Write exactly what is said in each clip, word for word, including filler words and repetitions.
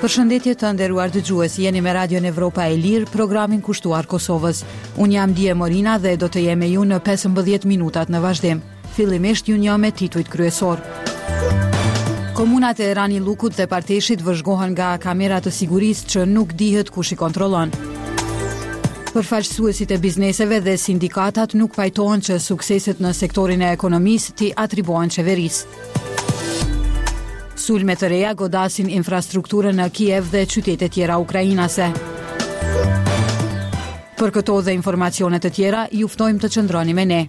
Përshëndetje të nderuar dëgjues, jeni me Radion Evropa e Lirë, programin kushtuar Kosovës. Unë jam Die Morina dhe do të jem me ju në pesëmbëdhjetë minutat në vazhdim. Fillimisht ju njoh me titujt kryesor. Komunat e Ranillukut dhe Parteshit vëzhgohen nga kamera të sigurisë që nuk dihet kush i kontrollon. Përfaqësuesit e bizneseve dhe sindikatat nuk pajtohen që sukseset në sektorin e ekonomisë t'i atribuohen qeverisë. Sulme të reja godasin infrastrukturën në Kiev dhe qytete tjera ukrainase. Për këto dhe informacione të tjera, ju ftojmë të qëndroni me ne.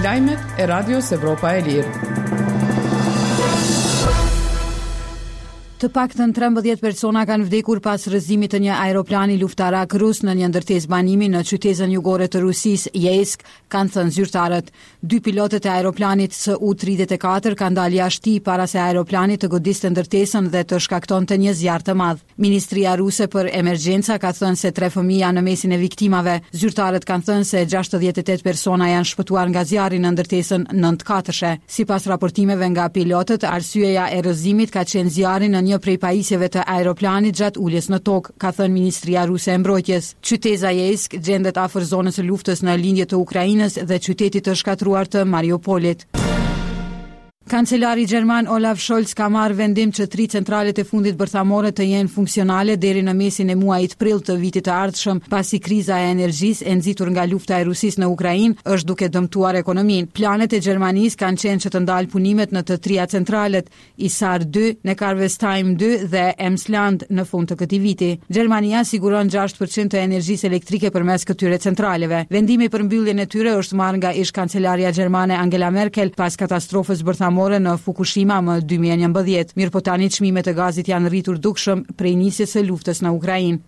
Lajmet e Radios Evropa e Lirë. Të paktën trembëdhjetë persona kanë vdekur pas rrëzimit të një aeroplani luftarak rus në një ndërtesë banimi në qytezën jugore të Rusisë, Yeysk, kanë thënë zyrtarët. Dy pilotët e aeroplanit S U tridhjetë e katër kanë dalë jashtë tij para se aeroplani të godiste ndërtesën dhe të shkaktonte një zjarr të madh. Ministria ruse për emergjenca ka thënë se tre fëmijë janë në mesin e viktimave. Zyrtarët kanë thënë se gjashtëdhjetë e tetë persona janë shpëtuar nga zjarri në ndërtesën nëntëkatëshe. Sipas raportimeve nga pilotët, arsyeja e rrëzimit ka qenë zjarri në një prej pajisjeve të aeroplanit gjatë uljes në tokë, ka thënë Ministria Ruse e Mbrojtjes. Qyteza Yeysk gjendet afër zonës së luftës në lindje të Ukrainës dhe qytetit të shkatërruar të Mariupolit. Kancelari gjerman Olaf Scholz ka marrë vendim që tri centralet e fundit bërthamore të jenë funksionale deri në mesin e muajit prill të vitit të ardhshëm, pasi kriza e energjisë e nxitur nga lufta e Rusisë në Ukrainë është duke dëmtuar ekonominë. Planet e Gjermanisë kanë qenë që të ndalë punimet në të tria centralet, Isar dy, Neckarwestheim dy dhe Emsland në fund të këtij viti. Gjermania siguron gjashtë përqind të energjisë elektrike përmes këtyre centraleve. Vendimi për mbylljen e tyre është marrë nga ish kancelarja gjermane Angela Merkel pas katastrofës bërthamore në Fukushima më dy mijë e njëmbëdhjetë. Mirë po tani çmimet e gazit janë rritur dukshëm prej nisjes së luftës në Ukrainë.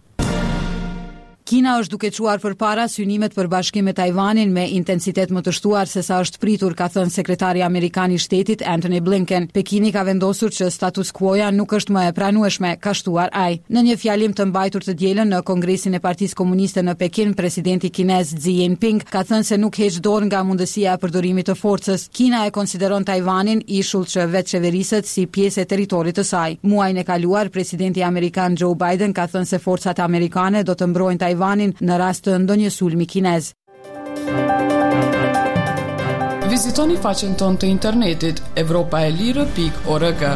Kina është duke çuar përpara synimet për bashkim me Tajvanin me intensitet më të shtuar se sa është pritur, ka thënë sekretari amerikan i shtetit Antony Blinken. Pekini ka vendosur që status quo-ja nuk është më e pranueshme, ka shtuar ai. Në një fjalim të mbajtur të dielën në Kongresin e Partisë Komuniste në Pekin, presidenti kinez Xi Jinping ka thënë se nuk heq dorë nga mundësia e përdorimit të forcës. Kina e konsideron Tajvanin ishull që vetëqeveriset si pjesë e territorit të saj. Muajin e kaluar, presidenti amerikan Joe Biden ka thënë se forcat amerikane do të mbrojnë Tajvanin në rast të ndonjë sulmi kinez. Vizitoni faqen tonë të internetit evropa e lirë pikë org.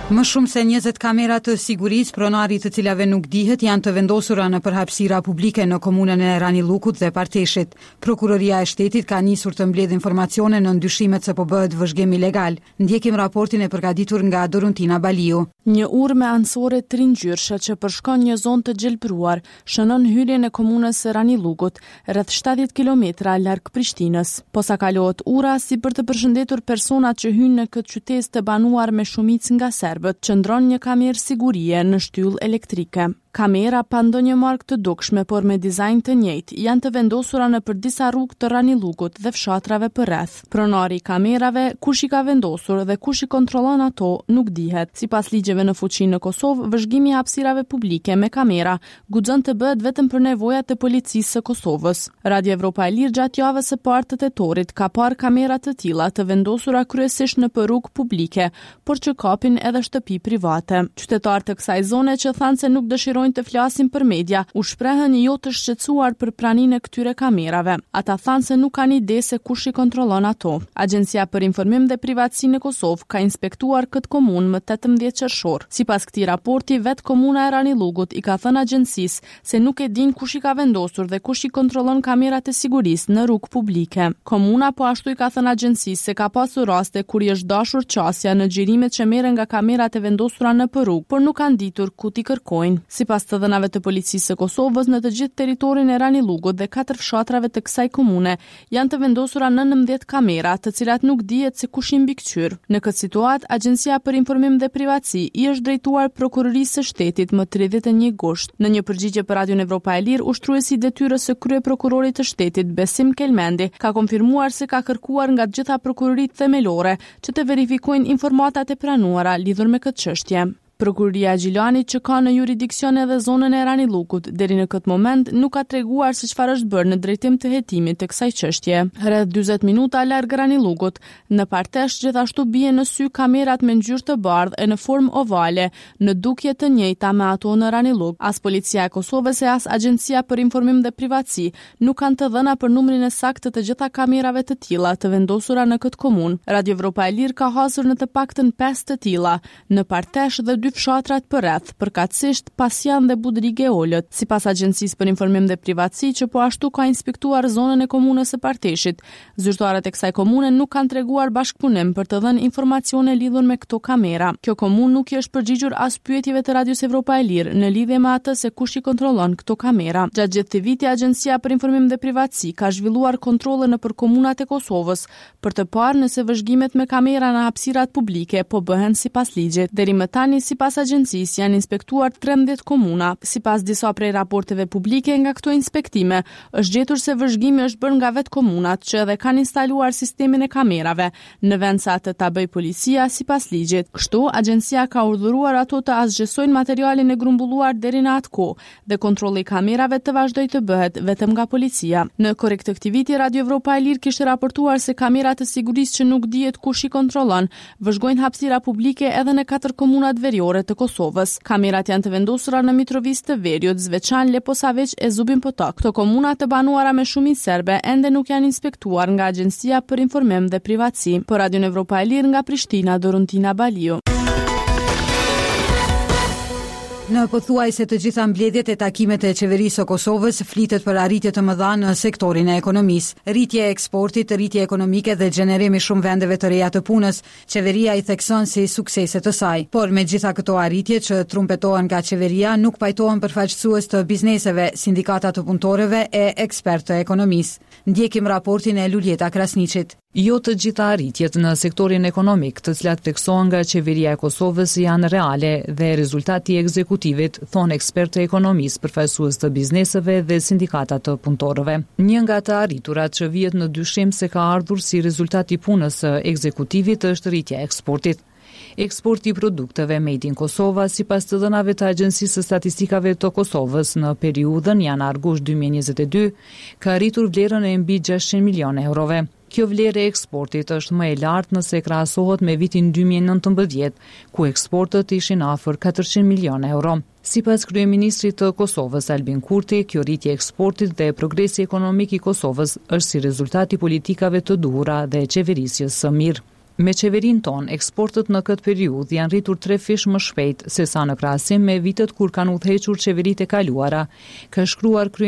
Më shumë se njëzet kamera të sigurisë, pronari të cilave nuk dihet, janë të vendosura në përhapësira publike në komunën e Ranillukut dhe Parteshit. Prokuroria e shtetit ka nisur të mbledhë informacione në dyshimet se po bëhet vëzhgim ilegal. Ndjekim raportin e përgatitur nga Doruntina Baliu. Një urë me anësore tringjyrëshe që përshkon një zonë të gjelbëruar shënon hyrjen e komunës së Ranillugut, rreth shtatëdhjetë kilometra larg Prishtinës. Posa kalohet ura, si për të përshëndetur personat që hyjnë në këtë qytet të banuar me shumicë nga serbët, qëndron një kamerë sigurie në shtyllë elektrike. Kamera pa ndonjë markë të dukshme, por me dizajn të njëjtë, janë të vendosura nëpër disa rrugë të Ranillugut dhe fshatrave përreth. Pronari i kamerave, kush i ka vendosur dhe kush i kontrollon ato, nuk dihet. Sipas ligjeve në fuqi në Kosovë, vëzhgimi i hapësirave publike me kamera guxon të bëhet vetëm për nevojat e policisë së Kosovës. Radio Evropa e Lirë gjatë javës së parë të tetorit ka parë kamera të tilla të vendosura kryesisht nëpër rrugë publike, por që kapin edhe shtëpi private. Qytetarë të kësaj zone që thanë se nuk dëshirojnë të flasin për media, u shprehën jo të shqetësuar për praninë e këtyre kamerave. Ata thanë se nuk kanë ide se kush i kontrollon ato. Agjencia për Informim dhe Privatësi në Kosovë ka inspektuar këtë komunë më tetëmbëdhjetë qershor. Sipas këtij raporti, vetë komuna e Ranillugut i ka thënë agjencisë se nuk e din kush i ka vendosur dhe kush i kontrollon kamerat e sigurisë në rrugë publike. Komuna po ashtu i ka thënë agjencisë se ka pasur raste kur i është dashur qasja në xhirimet që merren nga kamerat e vendosura në rrugë, por nuk kanë ditur ku t'i kërkojnë. Sipas të dhënave të policisë së Kosovës, në të gjithë territorin e Ranillugut dhe katër fshatrave të kësaj komune janë të vendosura nëntëmbëdhjetë kamera, të cilat nuk dihet se kush i mbikëqyr. Në këtë situatë, Agjencia për Informim dhe Privatësi i është drejtuar Prokurorisë së Shtetit më tridhjetë e një gusht. Në një përgjigje për Radion Evropa e Lirë, ushtruesi i detyrës së kryeprokurorit të shtetit, Besim Kelmendi, ka konfirmuar se ka kërkuar nga të gjitha prokuroritë themelore që të verifikojnë informatat e pranuara lidhur me këtë çështje. Prokuroria e Gjilanit, që ka në juridiksion edhe zonën e Ranillukut, deri në këtë moment nuk ka treguar se çfarë është bërë në drejtim të hetimit të kësaj çështje. Rreth dyzet minuta larg Ranillugut, në Partesh gjithashtu bien në sy kamerat me ngjyrë të bardhë e në formë ovale, në dukje të njëjta me ato në Ranillug. As Policia e Kosovës e as Agjencia për Informim dhe Privatësi nuk kanë të dhëna për numrin e saktë të të gjitha kamerave të tilla të vendosura në këtë komunë. Radio Evropa e Lirë ka hasur në të paktën pesë të tilla në Partesh dhe dy fshatrat përreth, përkatësisht Pasjan dhe Budrige Olët. Sipas Agjencisë për Informim dhe Privatësi, që po ashtu ka inspektuar zonën e komunës së Parteshit, zyrtarët e kësaj komune nuk kanë treguar bashkëpunim për të dhënë informacione lidhur me këto kamera. Kjo komunë nuk i është përgjigjur as pyetjeve të Radios Evropa e Lirë në lidhje me atë se kush i kontrollon këto kamera. Gjatë gjithë këtij viti, Agjencia për Informim dhe Privatësi ka zhvilluar kontrolle nëpër komunat e Kosovës për të parë nëse vëzhgimet me kamera në hapësirat publike po bëhen sipas ligjit. Deri më tani, sipas agjencisë, janë inspektuar trembëdhjetë komuna. Sipas disa prej raporteve publike nga këto inspektime, është gjetur se vëzhgimi është bërë nga vetë komunat që edhe kanë instaluar sistemin e kamerave, në vend se atë ta bëjë policia sipas ligjit. Kështu, agjencia ka urdhëruar ato të asgjësojnë materialin e grumbulluar deri në atë kohë dhe kontrolli i kamerave të vazhdojë të bëhet vetëm nga policia. Në korrik të këtij viti, Radio Evropa e Lirë kishte raportuar se kamerat e sigurisë që nuk dihet kush i kontrollon, vëzhgojnë hapësira publike edhe në katër komunat veriore të Kosovës. Kamerat janë të vendosura në Mitrovicë të Veriut, Zveçan, Leposaviq e Zubin Potok. Këto komuna të banuara me shumicë serbe ende nuk janë inspektuar nga Agjencia për Informim dhe Privatësi. Për Radion Evropa e Lirë nga Prishtina, Doruntina Baliu. Në pothuajse të gjitha mbledhjet e takimet e qeverisë së Kosovës flitet për arritje të mëdha në sektorin e ekonomisë. Rritje e eksportit, rritje ekonomike dhe gjenerim i shumë vendeve të reja të punës, qeveria i thekson si suksese të saj. Por me gjitha këto arritje që trumpetohen nga qeveria, nuk pajtohen përfaqësues të bizneseve, sindikata të punëtorëve e ekspertë të ekonomisë. Ndjekim raportin e Luljeta Krasniqit. Jo të gjitha arritjet në sektorin ekonomik, të cilat theksohen nga qeveria e Kosovës, janë reale dhe rezultati i ekzekutivit, thonë ekspertë të ekonomisë, përfaqësues të bizneseve dhe sindikata të punëtorëve. Një nga të arriturat që vihet në dyshim se ka ardhur si rezultat i punës së ekzekutivit është rritja e eksportit. Eksporti i produkteve Made in Kosova, sipas të dhënave të Agjencisë së Statistikave të Kosovës në periudhën janar-gusht dy mijë e njëzet e dy, ka arritur vlerën e mbi gjashtëqind milionë eurove. Kjo vlerë e eksportit është më e lartë nëse krahasohet me vitin dy mijë e nëntëmbëdhjetë, ku eksportet ishin afër katërqind milionë euro. Sipas kryeministrit të Kosovës, Albin Kurti, kjo rritje e eksportit dhe progresi ekonomik i Kosovës është si rezultat i politikave të duhura dhe qeverisjes së mirë. Me qeverinë tonë, eksportet në këtë periudhë janë rritur tre fish më shpejt se sa në krahasim me vitet kur kanë udhëhequr qeveritë e kaluara, ka shkruar kryeministri